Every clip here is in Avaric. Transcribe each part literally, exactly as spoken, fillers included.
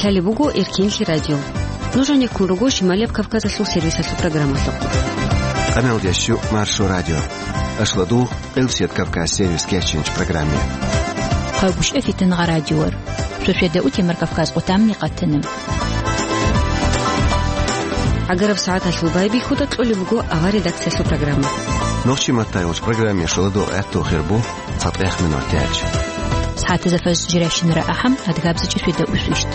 Гьале буго Эркинлъи радио. Нуж гьанеккун руго Шималияб Кавказалъул сервисалъул программалъухъ. Къамел дящу Маршо радио. Ашладу Къилсият Кавказ сервис кечинч программе. Хъагушев Фитнагъа радиор. Шошеда утемар Кавказ къутамни къатана. Агараб сагӀаталъул байбихьуда кьолеб буго авар редакциялъул программа. Нохчи маттайгъуч программе шоладу гӀатту хирбу. Цадгъех минут яч. СагӀатазда фаз жиращинара ахӀам, адгабзачӀи фида усвищт.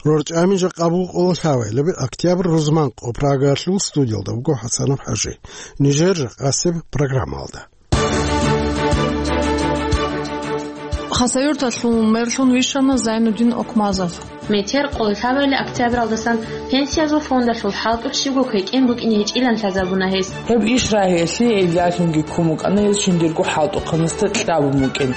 РорчӀами жакъа буго къоло лъабабилеб октябрь рузман къо Прагалъул студиялда буго ХӀасанов ХӀажи. Нижер жакъасеб программалда. Хасавюрталъул мерлъун вищана Зайнудин Окмазов. Метер къоло лъабабилеб октябралдасан пенсиязул фондалъул хӀалтӀулъ щибго квекӀен букӀине гьечӀилан лъазабуна гьес. Гьеб иш рагьиялъе гьелдалъунги ккун букӀана гьес жиндирго хӀалтӀухъанасда кьабун букӀин.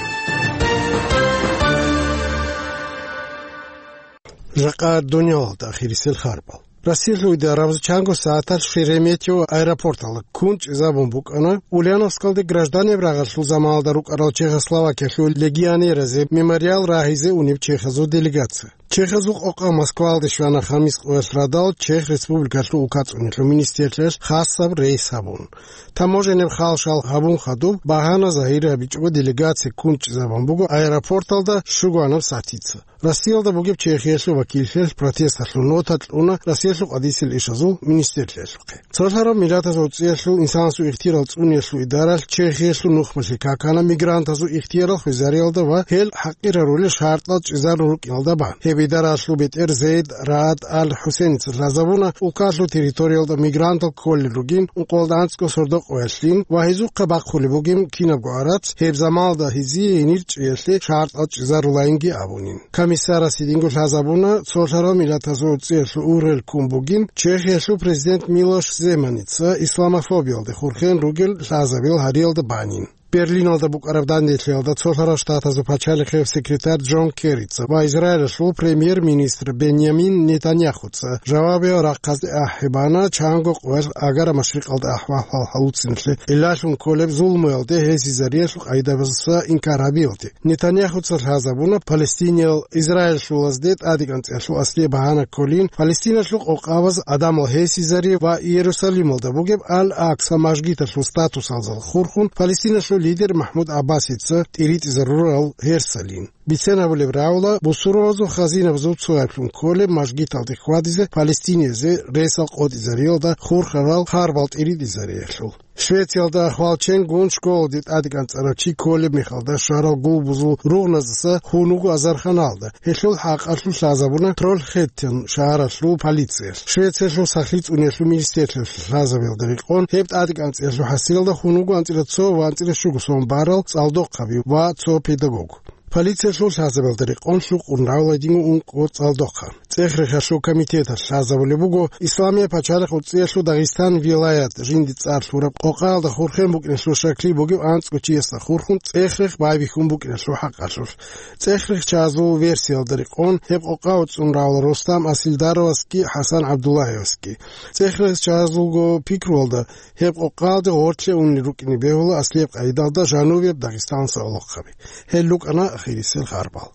Жакъа дуниялалда ахирисел харбал. Россиялъул идарабаз чанго сагӀаталъ Шереметьево аэропорталда ккун чӀезабун букӀана Ульяновскалде гражданиял рагъалъул заманалда рукӀарал Чехословакиялъул легионеразе мемориал рагьизе унеб чехазул делегация. Чехазул къокъа Москваялде щвана хамис къоялъ радал Чех Республикалъул улкацӀунелъул министрлъиялъ хасаб рейс гьабун. Таможенаб халшал гьабун хадуб, багьана загьир гьабичӀого делегация ккун чӀезабун буго аэропорталда щугоанаб сатица. Россиялда бугеб Чехиялъул вакиллъиялъ протесталъул нота кьуна Россиялъул къадисел ишазул министрлъиялъухъе. Цолъараб миллатазул цӀиялъул инсанасул ихтиярал цӀуниялъул идаралъ Чехиялъул нухмалъи какана мигрантазул ихтиярал хвезариялда ва гьел хӀакъир гьарулел шартӀал чӀезарун рукӀиналда бан. Гьеб идаралъул бетӀер Зейд Раад Ал-ХӀусеница лъазабуна улкалъул территориялда мигрантал кколел ругин ункъоялда анцӀго сордо къоялъин ва гьезухъе бахъулеб бугин кинабго гӀарац, гьеб заманалда гьезие гьенир чӀиялъе шартӀал чӀезарулайинги абунин. Комиссарас гьединго лъазабуна, цолъарал миллатазул цӀиялъул ургъел ккун бугин, Чехиялъул президент Милош Земаница исламофобиялде хурхен ругел лъазабил гьариялда банин. Берлиналда букӀараб данделъиялда Цолъарал Штатазул пачалихъев секретарь Джон Керрица ва Израилалъул премьер-министр Беньямин Нетаньяхуца жавабиял рахъазде ахӀи бана чанго къоялъ Агара машрикъалда ахӀвал-хӀал гьалуциналъе гӀиллалъун кколеб зулмуялде гьесизариялъул къайдабазаса инкар гьабиялде. Нетаньяхуца лъазабуна, палестиниял израиллъулазде тӀадегӀанцӀиялъул аслияб багьана кколин, Палестиналъул къокъабаз гӀадамал гьесизари ва Иерусалималда бугеб Ал-Акса мажгиталъул статусалдаса хурхун Палестиналъул лидер МахӀмуд ГӀаббасица тӀиритӀизарурал гьерсалин. Бицен гьабулеб рагӀула, бусурбабазул хазинабазул цояблъун кколеб мажгиталде хьвадизе палестиниязе ресал къотӀизариялда хурхарал харбал тӀиритӀизариялъул. Швециялда ахвалченгун школалде тӀадекӀанцӀарав чи кколеб мехалда щварал гулбузул ругъназдаса хун вуго азарханалда. Гьелъул хӀакъалъулъ лъазабуна Трольхеттен шагьаралъул полициялъ. Швециялъул сахлъи цӀуниялъул министрлъиялъ лъазабиялда рекъон гьеб тӀадекӀанцӀиялъул хӀасилалда хун вуго анцӀила цо ва анцӀила щуго сон барал цӀалдохъаби ва цо педагог. Полициялъул лъазабиялда рекъон лъукъун равладин ункъо цӀалдохъа. ЦӀех-рехалъул комитеталъ лъазабулеб буго Исламияб пачалихъ цӀиялъул Дагъистан вилаят жинди цӀар лъураб къокъаялда хурхен букӀиналъул щаклъи бугев анцӀго чиясда хурхун цӀех-рех байбихьун букӀиналъул хӀакъалъулъ. ЦӀех-рехчазул версиялда рекъон гьеб къокъа уцӀцӀун равла Рустам Асилдаровасги ХӀасан ГӀабдуллагьевасги. ЦӀех-рехчазулго пикруялда гьеб къокъаялде гъорлъе унел рукӀине бегьула аслияб къайдалда жанубияб Дагъистаналъул гӀолохъаби. Гьел рукӀана ахирисел харбал.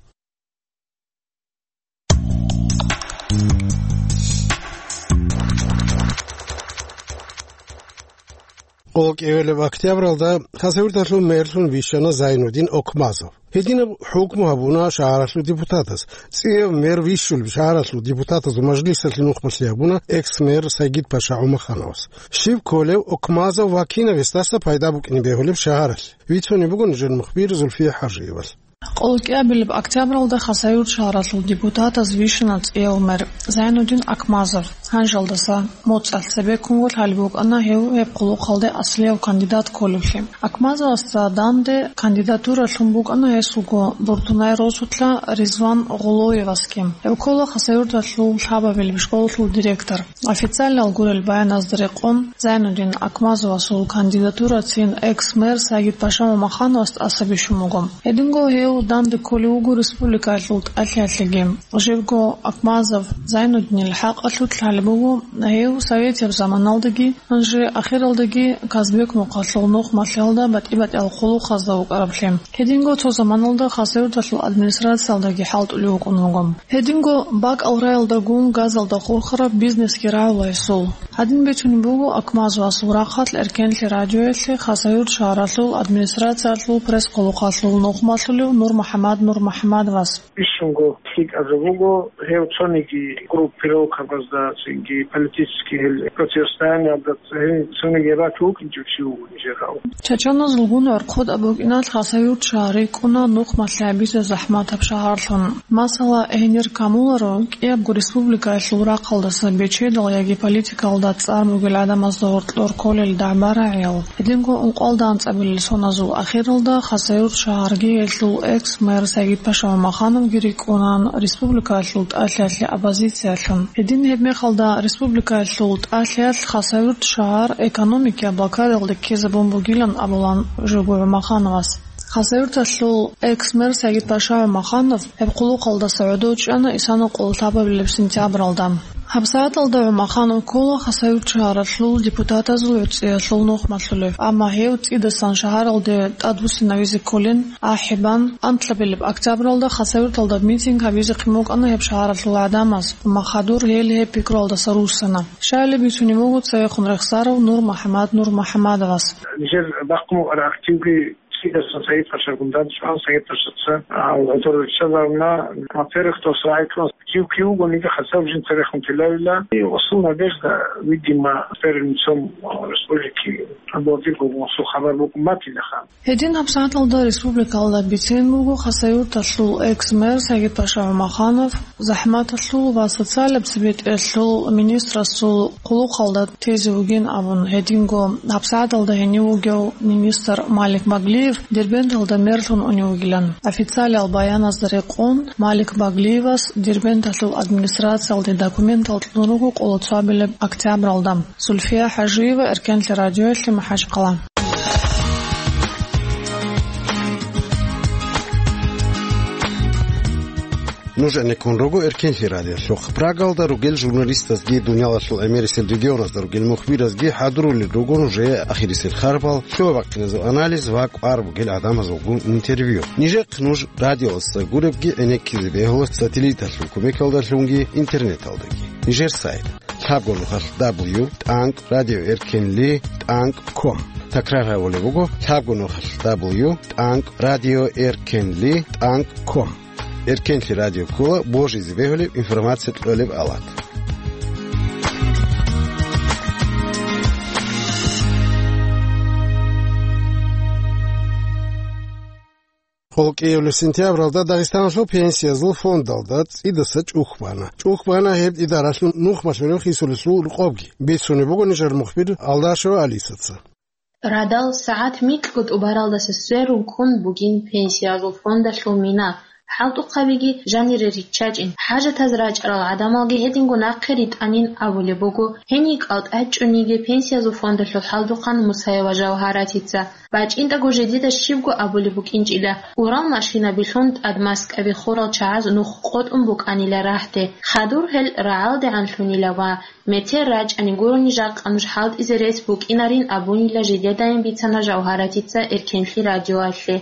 Къоло кӀиабилеб октябралда Хасавюрталъул мерлъун вищана Зайнудин Окмазов. Гьединаб хӀукму гьабуна шагьаралъул депутатас. ЦӀияб мер вищулеб шагьаралъул депутатазул мажлисалъе нухмалъи гьабуна экс-мэр Сагид-паша ГӀумахановас. Щиб кколев, Окмазов ва кинав гьесдаса пайда букӀине бегьулеб шагьаралъе? Вицунеб буго нижер мухбир Зульфия ХӀажиевал. Къоло кӀиабилеб октябралда Хасавюрт шагьаралъул депутатаз вищана цӀияб мэр Зайнудин Акмазов. Гьанжалдаса моцӀалъ цебеккунго лъалеб букӀана гьев гьеб хъулухъалде аслияв кандидат кколеблъи. Акмазовасда данде кандидатура лъун букӀана гьесулго Буртунай росулъа Ризван Гъулоевасги. Гьев ккола Хасавюрталъул лъабабилеб школалъул директор. Официалал гурел баяназда рекъон, Зайнудин Акмазовасул кандидатурацин экс-мэр Сагид-паша ГӀумахановас тӀаса бищун буго. Гьединго гьев Данде кколев вуго республикаялъул тӀалъиялъеги. Жибго Акмазов Зайнуддинил хӀакъалъулъ лъалеб буго, гьев советияб заманалдаги, гьанже ахиралдаги Казбек мухъалъул нухмалъиялда батӀи-батӀиял хъулухъазда вукӀараблъи. Гьединго цо заманалда Хасавюрталъул администрациялдаги хӀалтӀулев вукӀун вуго. Гьединго бакӀал раялдагун газалда хурхараб бизнесги рагӀула гьесул. Гьадин бицунеб буго Акмазовасул рахъалъ Эркенлъи радиоялъе Хасавюрт шагьаралъул администрациялъул пресс-хъулухъалъул нухмалъулев НурмухӀамад НурмухӀамадовас. Бищунго лъикӀаб жо буго, гьев цониги группировкабазда, цинги политический гьел противостояниялда цин-, цониги рачун вукӀинчӀев чи вуго нижер гьав. Чачаназулгун гӀорхъод абукӀиналъ Хасавюрт шагьар рикӀкӀуна нухмалъи гьабизе захӀматаб шагьарлъун. Масала, гьенир камуларо кӀиябго республикаялъул рахъалдаса бечедал яги политикалда цӀар бугел гӀадамазда гьоркьор кколел дагӀба-рагӀиял. Гьединго ункъоялда анцӀабилел соназул ахиралда Хасавюрт шагьарги гьелъул экс-мэр Сагид-Паша ГӀумахановги рикӀкӀунан республикаялъул тӀалъиялъе оппозициялъун. Гьедин гьебмехалда республикаялъул тӀалъиялъ Хасавюрт шагьар экономикияб блокадалде ккезабун бугилан абулан жуго ГӀумахановас. Хасавюрталъул экс-мэр Сагид-Паша ГӀумаханов гьеб хъулухъалдаса гӀодов чӀана исана къоло лъабабилеб сентябралда. ГьабсагӀаталда ГӀумаханов ккола Хасавюрт шагьаралъул депутатазул гӀуцӀиялъул нухмалъулев, амма гьев цӀидасан шагьаралде тӀадвуссинавизе кколин, ахӀи бан, анлъабилеб октябралда Хасавюрталда митинг гьабизехъин букӀана гьеб шагьаралъул гӀадамаз, амма хадур гьел гьеб пикруялдаса руссана. Щайилеб бицунеб буго цевехун рехсарав НурмухӀамад НурмухӀамадовас. Нижер бахъун букӀараб активги цӀидасан Сагид-Пашагун данчӀван, Сагид-Пашаца, а, гӀодор риччазарна, во-первых, дос рагӀи кьун активги вуго, ниги хасаб жинца рехун телавила. И осул надежда, видимо, первым лицом, а, республики Абдулатир Гогмусул хабар букӀун батилаха. Гьедин гьабсагӀаталда республикалда бицен буго Хасавюрталъул экс-мэр Сагид-Паша ГӀумаханов, захӀматалъул ва социалаб цебетӀелъул министрасул хъулухъалда тезе вугин абун. Гьединго гьабсагӀаталда гьенив вугев министр Малик Баглиев Дербенталда мерлъун унев вугилан. Официалиял баяназда рекъон, Малик Баглиевас Дербенталъул администрациялде документал кьун руго къоло цоабилеб октябралда. Зульфия ХӀажиева, Эркенлъи радиоялъе, МахӀачхъала. Нуж гӀенеккун руго Эркенлъи радиолъухъ. Прагалда ругел журналистазги дуниялалъул гӀемерисел регионазда ругел мухбиразги хӀадурулел руго нужее ахирисел харбал, лъугьа-бахъиназул анализ ва кӀвар бугел гӀадамазулгун интервью. Нижехъ нуж радиоялдаса гуребги гӀенеккизе бегьула сателлиталъул кумекалдалъунги интернеталдаги. Нижер сайт: лъабго нухалъ дабл ю тӀанкӀ радио эркенли тӀанкӀ ком. Такрар гьабулеб буго: лъабго нухалъ дабл ю тӀанкӀ радио эркенли тӀанкӀ ком. Эркенлъи радио ккола божизе бегьулеб информация кьолеб авлад. Гьел кӀиабилеб сентябралда Дагъистаналъул пенсиязул фондалда цӀидаса чӀухӀ бана. ЧӀухӀ бана гьеб идаралъул нухмалъулев хисулелъул рукъобги. Бицунеб буго нижер мухбир Алдашева Алисаца. Радал сагӀат микьго тӀубаралдаса сверун ккун бугин пенсиязул фондалъул мина. ХӀалтӀухъабиги жанире риччачӀин, хӀажатаз рачӀарал гӀадамалги гьединго нахъе ритӀанин абулеб буго гьениб кӀалтӀа чӀуниги пенсиязул фондалъул хӀалтӀухъан Мусаева Жавгьаратица. БачӀинтӀаго жидеда щибго абулеб букӀинчӀила, урал машинабилъун тӀад маскаби хурал чагӀаз нух къотӀун букӀанила рагьде. Хадур гьел рагӀалдегӀанлъунила ва метер рачӀани гурони жакъа нуж хӀалтӀизе рес букӀинарин абунила жидедаин бицана Жавгьаратица Эркенлъи радиоялъе.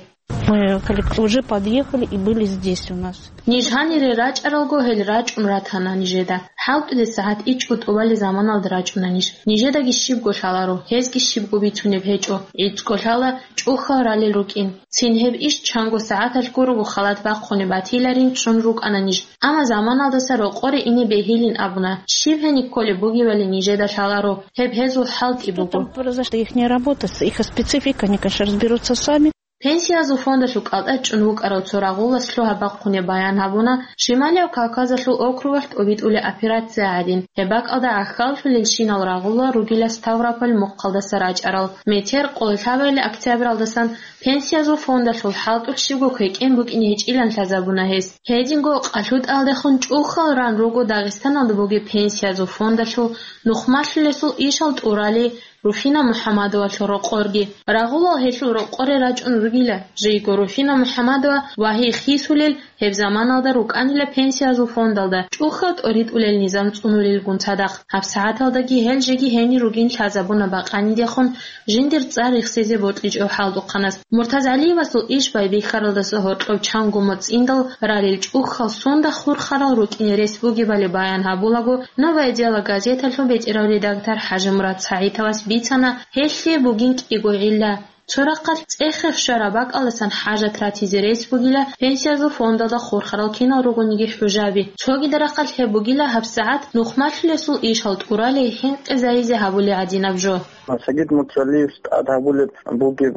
Мы коллек-, уже подъехали и были здесь у нас. Ниж гьанире рачӀаралго гьел рачӀун ратана нижеда. ХӀалтӀулеб сагӀат ичӀго тӀубалеб заманалда рачӀуна ниж. Нижедаги щибго лъаларо, гьезги щибго бицунеб гьечӀо. ГӀицӀго лъала чӀухӀал ралел рукӀин. Цин гьеб иш чанго сагӀаталъ гурого халат бахъунеб батиларин чӀун рукӀана ниж. Амма заманалдаса рокъоре ине бегьилин абуна. Щиб гьениб кколеб бугебали нижеда лъаларо, гьеб гьезул хӀалтӀи буго. Что там произошло, ихняя работа, с-, их специфика, они, конечно, разберутся сами. Пенсиязул фондалъул кӀалтӀа чӀун вукӀарав цо рагъулас лъугьа-бахъунеб баян гьабуна Шималияб Кавказалъул округалъ тӀобитӀулеб операция гӀадин. Гьеб бакӀалда гӀахьаллъулелщинал рагъула ругила Ставрополь мухъалдаса рачӀарал. Метер къоло лъабабилеб октябралдасан пенсиязул фондалъул хӀалтӀулъ щибго квекӀен букӀине гьечӀилан лъазабуна гьес. Гьединго къалъутӀалдехун чӀухӀал ран руго Дагъистаналда бугеб пенсиязул фондалъул нухмалъулесул ишал тӀурали Руфина МухӀаммадовалъул рокъорги. Рагъулал гьелъул рокъоре рачӀун ругила, жийго Руфина МухӀаммадова ва гьей хисулел гьеб заманалда рукӀанила пенсиязул фондалда, чӀухьал тӀоритӀулел низам цӀунулелгун цадахъ. ГьабсагӀаталдаги гьел жеги гьенир ругин лъазабуна бакъанидехун жиндир цӀар рехсезе бокьичӀев хӀалтӀухъанас. МуртазгӀалиевасул иш байбихьаралдаса гьоркьов чанго моцӀиндал ралел чӀухьал сундахъ хурхарал рукӀине рес бугебали баян гьабулаго, «Новое дело» газеталъул бетӀерав редактор ХӀажимурад СагӀитовас бицана, гьелъие бугин кӀиго гӀилла. Цо рахъалъ цӀехе щвараб бакӀалдасан хӀажат ратизе рес бугила пенсиязул фондалда хурхарал кинал ругониги хӀужаби. Цогидал рахъалъ гьеб бугила гьабсагӀат нухмалъулесул ишал тӀуралей хӀинкъизайизе гьабулей гӀадинаб жо. Сагид Муртазгьалиевс тӀад гьабулеб бугеб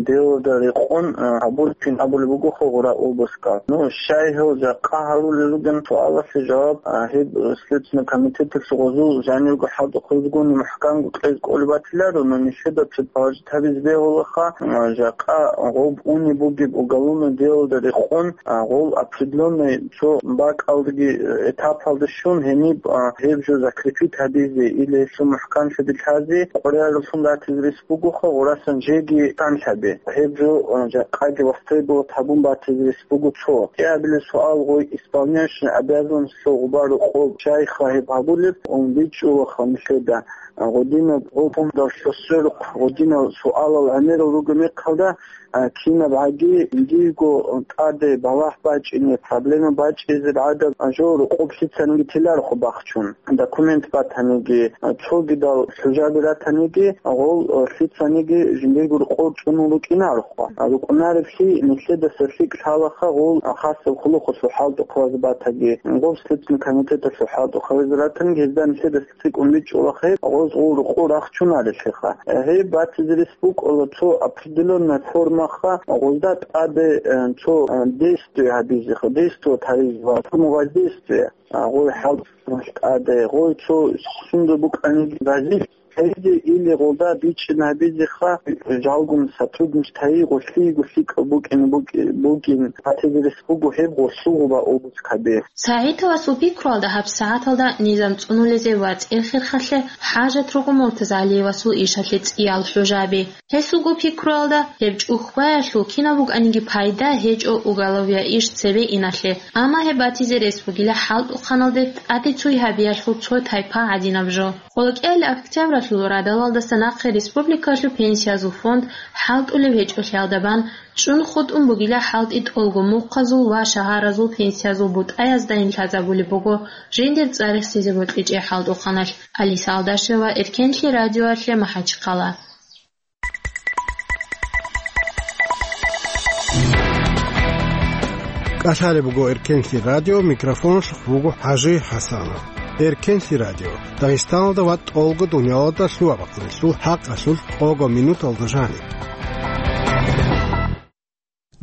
делода рекъон, а, гьабулеб кин абулеб бугоха гъура обыскал. Ну, щай гьев жакъа гьарулел ругел суалалъе жаваб, а, гьеб Следственный комитеталъ гъозул жанивго хӀалтӀухъабазгун мухӀкамго кьез кӀолеб батиларо, но нилъеда предположить гьабизе бегьулаха, а, жакъа гъоб унеб бугеб уголовное делода рекъон, а, гъол определённый цо бакӀалдаги, э, этапалда щун гьениб, а, гьеб жо закрепить гьабизе или гьелъул мухӀканлъизе лъазе къорараллъун ратизе рес бугоха, гъурасан жеги канлъаби. Гьеб жо, а, жакъаги востребовать гьабун батизе рес буго цо. КӀиабилеб суал гъой исполняющий обязанностьалъул гъуба рокъоб щайха гьеб гьабулеб, ун бичӀчӀулаха нилъеда. А, гъодинаб гъо фондалъ щвесверухъ гъодинал суалал гӀемерал ругеб мехалда, а, кинаб гӀаги, жиндирго тӀаде балагь бачӀине, проблема бачӀизе гӀадаб жо рокъоб лъицаниги теларухъ бахчун. Документ батаниги, а, цогидал хӀужаби ратаниги, гъол, а, лъицаниги жиндирго рокъор чӀунун рукӀинарухъ. А, рукӀунареблъи нилъедаса лъикӀ лъалаха гъол, а, хасаб хъулухъалъул хӀалтӀухъабазе батаги, гъоб Следственный комитеталъул хӀалтӀухъабазе ратаниги, гьезда нилъедаса цӀикӀкӀун бичӀчӀулахъе, гъоз гъул рукъу рахчунарелъеха. Гьеб батизе рес букӀула цо определённая формаха, гъозда тӀаде, э, цо, э, действие гьабизеха, действовать гьаризе ва форму воздействия. А, гъой хӀалтӀухъанал тӀаде, гъой цо сунда букӀаниги разилъ гьаризе или гъолда бичӀчӀи гьабизеха, жалгун сотрудничать гьайи, гъолъиего лъикӀал букӀине букӀи-, бугин, батизе рес буго гьеб гъолъул гъуба обыск гьабе. СагӀитовасул пикруялда гьабсагӀаталда низам цӀунулезе ва цӀехирхалъе хӀажат руго Муртазгьалиевасул ишалъе цӀиял хӀужаби. Гьесулго пикруялда, гьеб чӀухӀбаялъул кинаб букӀаниги пайда гьечӀо уголовия иш цебе иналъе, амма гьеб батизе рес бугила хӀалтӀухъаналде тӀаде цой гьабиялъул цо тайпа гӀадинаб жо. КъолокӀиялъ октябралъул радалалдаса нахъе республикалъул пенсиязул фонд хӀалтӀулеб гьечӀолъиялда бан, чӀун хутӀун бугила хӀалтӀи тӀолго мухъазул ва шагьаразул пенсиязул бутӀаяздайин лъазабулеб буго жиндир цӀар рехсезе бокьичӀей хӀалтӀухъаналъ. Алиса Алдашева, Эркенлъи радиоялъе, МахӀачхъала. КӀалъалеб буго Эркенлъи радио, микрофоналъухъ вуго ХӀажи ХӀасанов. Эркенлъи радио, Дагъистаналда ва тӀолго дунялалда лъугьа-бахъинлъул хӀакъалъулъ къого минуталда жаниб.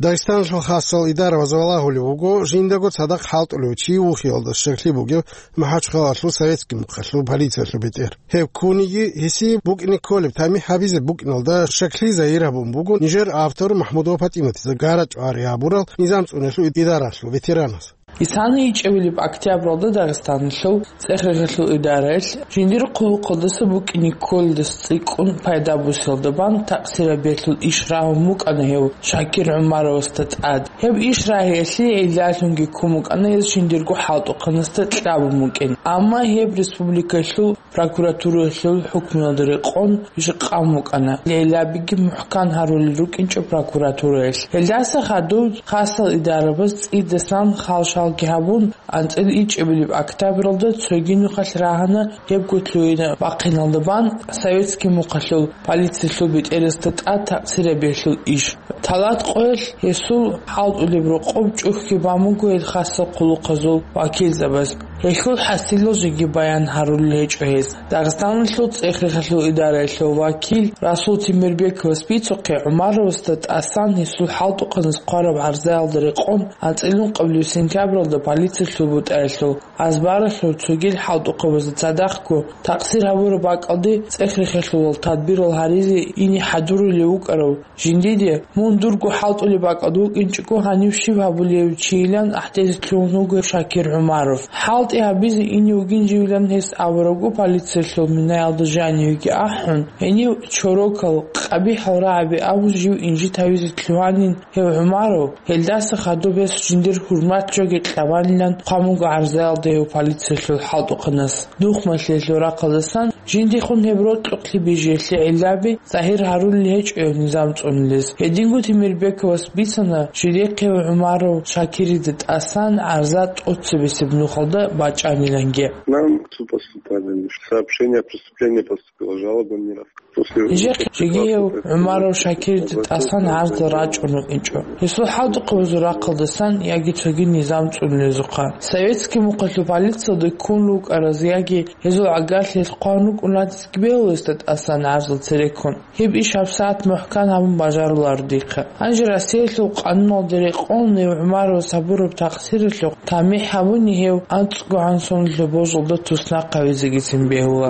Дагъистаналъул хасал идараялъ валагьулев вуго жиндаго цадахъ хӀалтӀулев чи вухиялда щаклъи бугев МахӀачхъалалъул советский мухъалъул полициялъул бетӀер. Гьев ккуниги, гьесие букӀине кколеб тамихӀ гьабизе букӀиналда щаклъи загьир гьабун буго нижер автор МахӀмудова ПатӀиматица гарачӀвари гьабурал низам цӀунулъул идаралъул ветеранас. Исана ичӀабилеб октябралда Дагъистаналъул цӀехрехалъул идараялъ жиндир хъулухъалдаса букӀине кколелдаса цӀикӀкӀун пайда бусиялда бан такъсирабиялъул иш рагьун букӀана гьев Шакир ГӀумаровасда тӀад. Гьеб иш рагьиялъе гӀиллалъунги ккун букӀана гьес жиндирго хӀалтӀухъанасда кьабун букӀин. Амма гьеб республикалъул прокуратураялъул хӀукмуялда рекъон иш къан букӀана. Гьелабиги мухӀкан гьарулел рукӀинчӀо прокуратураялъ. Гьелдаса хадуб хасал идарабаз цӀидасан хал-шалги гьабун, анцӀила ичӀабилеб октябралда цоги нухалъ рагьана гьебго лъугьина бахъиналда бан советский мухъалъул полициялъул бетӀерасда тӀад такъсирабиялъул иш. Талат къоялъ гьесул хӀалтӀулеб рокъоб чӀухӀги бан буго гьел хасал хъулухъазул вакилзабаз. Гьелъул хӀасилал жеги баян гьарулел гьечӀо гьез. Дагъистаналъул цӀехрехалъул идараялъул вакил Расул Темирбековас бицухъе, ГӀумаровасда тӀасан гьесул хӀалтӀухъанас хъвараб гӀарзаялда рекъон анцӀила ункъабилеб сентябралда полициялъул бутӀаялъул азбаралъур цогил хӀалтӀухъабазда цадахъго такъсир гьабураб бакӀалде цӀехрехалъулал тадбирал гьаризе ине хӀадурулев вукӀарав жиндиде, мун дурго хӀалтӀулеб бакӀалда вукӀинчӀого, гьанив щиб гьабулев чийилан гӀахӀдезе лъугьун вуго Шакир ГӀумаров. ХӀалтӀ гьабизе ине вугин живилан гьес абурабго, полициялъул минаялда жанивеги ахӀун, гьенив чорокал, къабихӀал рагӀаби абун жив инжит гьавизе лъугьанин гьев ГӀумаров, гьелдаса хадуб гьес жиндир хӀурмат жоги кьабанилан хъван буго гӀарзаялда гьев полициялъул хӀалтӀухъанас. Нухмалъиялъул рахъалдасан жиндихун гьеб рокьукълъи бижиялъе гӀиллаби загьир гьарулел гьечӀо гьев низам цӀунулез. Гьединго Темирбековас бицана жидехъе ГӀумаров Шакирида тӀасан гӀарза тӀоцебесеб нухалда бачӀаниланги. Нам поступали сообщения о преступлении, поступила жалоба не раз. После Нижехъе жеги гьев ГӀумаров Шакирида тӀасан гӀарзал рачӀун рукӀинчӀо. Гьесул хӀалтӀухъабазул рахъалдасан яги цоги низам цӀунулезухъа. Советский мухъалъул полициялда ккун рукӀараз яги гьезул гӀагарлъиялъ хъван рукӀун ратизе бегьулесда тӀасан гӀарзал цереккун. Гьеб иш гьабсагӀат мухӀкан гьабун бажаруларо дихъа. Гьанже Россиялъул къануналда рекъон гьев ГӀумаров сабураб такъсиралъухъ тамихӀ гьабуни гьев анцӀго гӀан соналъул божалда туснахъ гьавизегицин бегьула.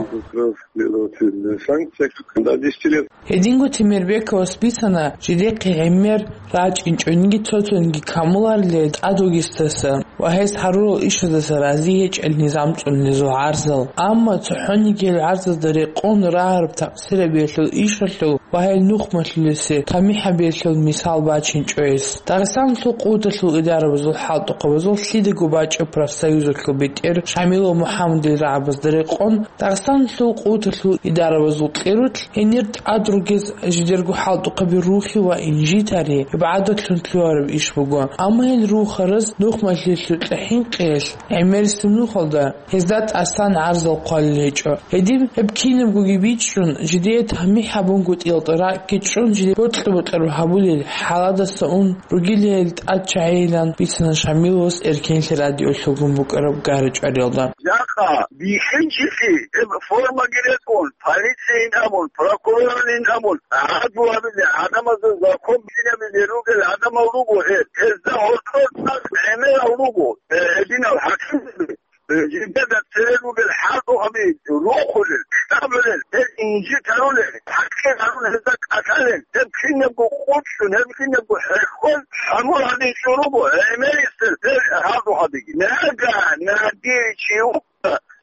Следовательная санкция, когда десять лет. Гьединго Темирбековас бицана жидехъе гӀемер рачӀинчӀониги цо-цониги камуларилан тӀадвугесдаса ва гьес гьарурал ишаздаса рази гьечӀел низам цӀунулезул гӀарзал. Амма цохӀониги гьел гӀарзазда рекъон рагьараб такъсирабиялъул ишалъул ва гьел нухмалъулесе тамихӀабиялъул мисал бачинчӀо гьес. Дагъистаналъул къуваталъул идарабазул хӀалтӀухъабазул лъидаго бачӀеб профсоюзалъул бетӀер Шамилов МухӀаммадил рагӀабазда рекъон, Дагъистаналъул къуваталъул идарабазул кьерулъ гьенир тӀад ругез жидерго хӀалтӀухъаби рухи ва инжитари, гьеб гӀадатлъун лъугьараб иш буго. Амма гьел рухараз нухмалъиялъул хӀинкъиялъ гӀемерисеб нухалда гьезда тӀасан гӀарзал хъвалел гьечӀо. Гьедин гьеб кинабгоги бичӀчӀун, жидее тамихӀ гьабунгутӀиялда ракӀги чӀун, жидее бокьа-бокьараб гьабулел хӀаладаса ун ругилан гьел тӀад чагӀийилан бицана Шамиловас Эркенлъи радиолъулгун букӀараб гара-чӀвариялда. Жакъа бихьинчилъи гьеб формаги рекӀун, полицияйин абун, прокурорайин абун, гӀадлу гьабизе, гӀадамазда закон бихьинабизе ругел гӀадамал руго гьел. Гьезда гьоркьор цӀакъ гӀемерал руго, э, гьединал хӀакимзаби. Э, жидеда цере ругел хӀалтӀухъаби рухулел, кьабулел, гьел инжит гьарулел, такъир гьарун гьезда кӀалъалел, гьеб кинабго къучӀун, гьеб кинабго хӀехьон, хӀамур гьадин чӀун руго, гӀемерисел гьел хӀалтӀухъабиги. Нага, наги чи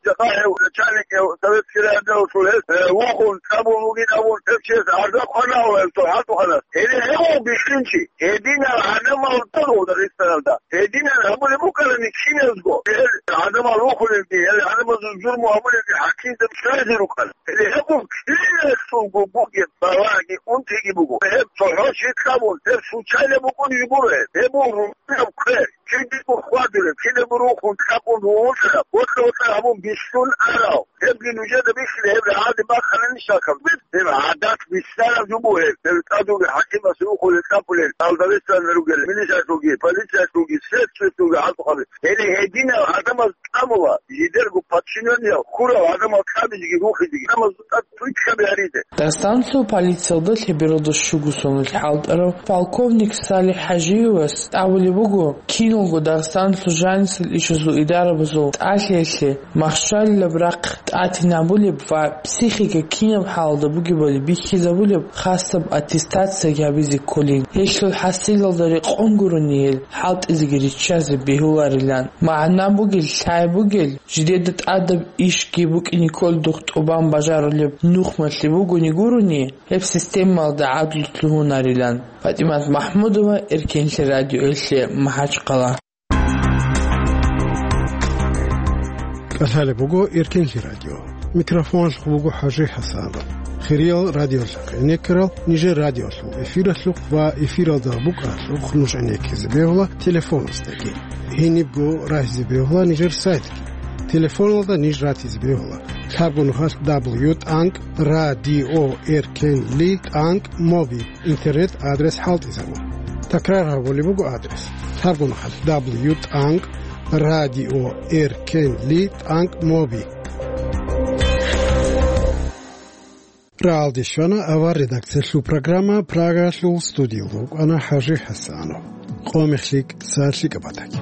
Жакъа гьев начальник гьев советский районда вугев, э, вухун, кьабун вугин абун, гьев чияс гӀарза хъвана гьев цо хӀалтӀухъанас. Гьеле гьев бихьинчи, гьединал гӀадамал тӀаде Дагъистаналда. Гьединал гьабулеб букӀарани киназго, гьел гӀадамал рухулелги, гьел гӀадамазул зулму гьабулелги хӀакимзаби чӀвазе рукӀана. Гьеле гьев киналъулго бугеб балагьги унтиги буго. Гьеб цохӀо щит кьабун, гьеб случайно букӀунеб гуро гьеб. Гьеб буго рукӀунеб квер. Кидаго хьвадулеб, кидаго рухун, кьабун ругьунлъараб, бокьа-бокьа гьабун бихьун арав. Гьебги нужеда бихьила, гьеб рагӀалде бахъанани щакаб. Гьеб гӀадат бицараб жо буго гьеб. Гьеб тӀадуги хӀакимас рухулел, кьабулел, Дагъистаналда ругел, милициялъулги, полициялъулги, следствиялъулги хӀалтӀухъаби. Гьеле гьединал гӀадамаз кьабула, жидерго подчинёниял хьурал гӀадамал кьабизеги рухизеги, гӀадамаз тӀад тӀуй ккаби гьаризе. Дагъистаналъул полициялда лъебералда щуго соналъ хӀалтӀарав полковник Салих ХӀажиевас абулеб буго, киналго Дагъистаналъул жанисел ишазул идарабазул тӀалъиялъе махщалилаб рахъ тӀатинабулеб ва психика кинаб хӀалалда бугебали бихьизабулеб хасаб аттестация гьабизе кколин. Гьелъул хӀасилалда рекъон гурони гьел хӀалтӀизеги риччазе бегьуларилан. МагӀна бугел, лъай бугел, жидеда тӀадаб ишги букӀине кколдухъ тӀубан бажарулеб нухмалъи бугони гурони, гьеб системалда гӀадлу лъугьунарилан. ПатӀимат МахӀмудова, Эркенлъи радиоялъе, МахӀачхъала. КӀалъалеб буго Эркенлъи радио. Микрофоналъухъ буго ХӀажи ХӀасанов. Хириял радиолъухъ гӀенеккарал нижер радиолъул эфиралъухъ ва эфиралда букӀаралъухъ нуж гӀенеккизе бегьула телефоназдаги. Гьенибго рагьизе бегьула нижер сайтги. Телефоналда ниж ратизе бегьула: лъабгонаха дабл ю тӀанкӀ радио эркенли тӀанкӀ моби интернет адрес хӀалтӀизабун. Такрар гьабулеб буго адрес: лъабгонаха дабл ю тӀанкӀ радио эркенли тӀанкӀ моби. РагӀалде щвана авар редакциялъул программа, Прагалъул студиялда вукӀана ХӀажи ХӀасанов. Къо-мех лъикӀ, сагӀат лъикӀаб батаги.